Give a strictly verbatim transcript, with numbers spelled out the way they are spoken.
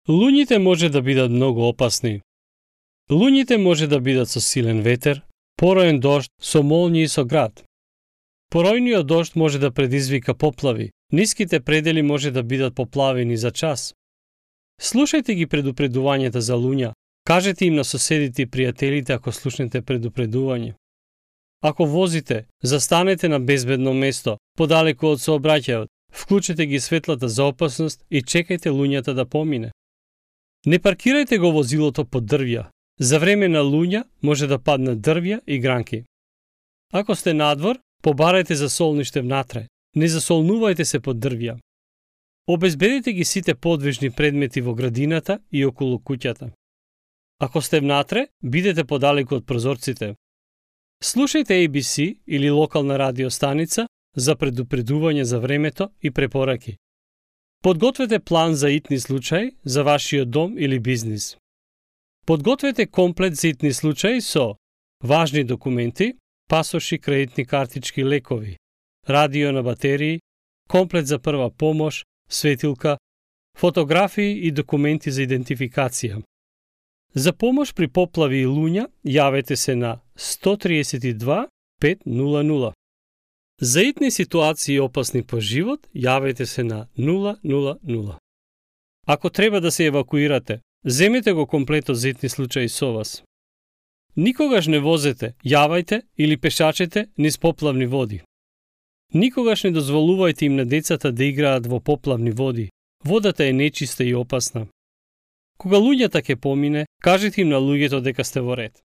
Луњите може да бидат многу опасни. Луњите може да бидат со силен ветер, пороен дожд, со молњи и со град. Поројниот дожд може да предизвика поплави, ниските предели може да бидат поплавени за час. Слушајте ги предупредувањата за луња, кажете им на соседите и пријателите ако слушнете предупредување. Ако возите, застанете на безбедно место, подалеку од сообраќајот, вклучете ги светлата за опасност и чекајте луњата да помине. Не паркирајте го возилото под дрвја. За време на луња може да паднат дрвја и гранки. Ако сте надвор, побарајте за солниште внатре. Не засолнувајте се под дрвја. Обезбедете ги сите подвижни предмети во градината и околу куќата. Ако сте внатре, бидете подалеку од прозорците. Слушајте A B C или локална радиостаница за предупредување за времето и препораки. Подгответе план за итни случаи за вашиот дом или бизнис. Подгответе комплет за итни случаи со важни документи, пасоши, кредитни картички, лекови, радио на батерии, комплет за прва помош, светилка, фотографии и документи за идентификација. За помош при поплави и луња, јавете се на сто триесет и два пет нула нула. За итни ситуации опасни по живот, јавете се на нула нула нула. Ако треба да се евакуирате, земете го комплетот за итни случаи со вас. Никогаш не возете, јавајте или пешачете низ поплавни води. Никогаш не дозволувајте им на децата да играат во поплавни води. Водата е нечиста и опасна. Кога луѓата ќе помине, кажете им на луѓето дека сте во ред.